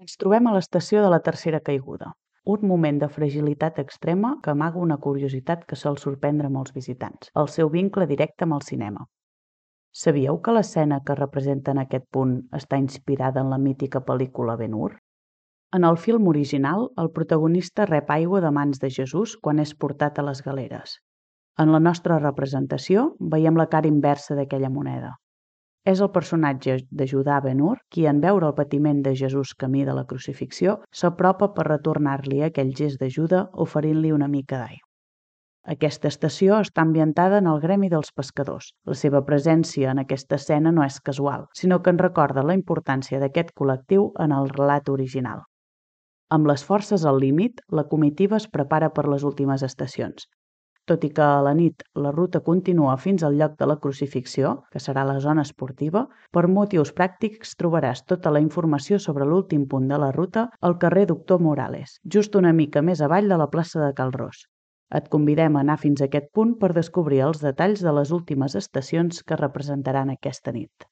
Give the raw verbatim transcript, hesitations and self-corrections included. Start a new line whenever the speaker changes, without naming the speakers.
Ens trobem a l'estació de la tercera caiguda, un moment de fragilitat extrema que amaga una curiositat que sol sorprendre molts visitants, el seu vincle directe amb el cinema. Sabíeu que l'escena que representa en aquest punt està inspirada en la mítica pel·lícula Ben-Hur? En el film original, el protagonista rep aigua de mans de Jesús quan és portat a les galeres. En la nostra representació, veiem la cara inversa d'aquella moneda. És el personatge de Judà Ben-Hur qui, en veure el patiment de Jesús camí de la crucifixió, s'apropa per retornar-li aquell gest d'ajuda oferint-li una mica d'aigua. Aquesta estació està ambientada en el gremi dels pescadors. La seva presència en aquesta escena no és casual, sinó que ens recorda la importància d'aquest col·lectiu en el relat original. Amb les forces al límit, la comitiva es prepara per les últimes estacions. Tot i que a la nit la ruta continua fins al lloc de la crucifixió, que serà la zona esportiva, per motius pràctics trobaràs tota la informació sobre l'últim punt de la ruta al carrer Doctor Morales, just una mica més avall de la plaça de Cal Ros. Et convidem a anar fins a aquest punt per descobrir els detalls de les últimes estacions que representaran aquesta nit.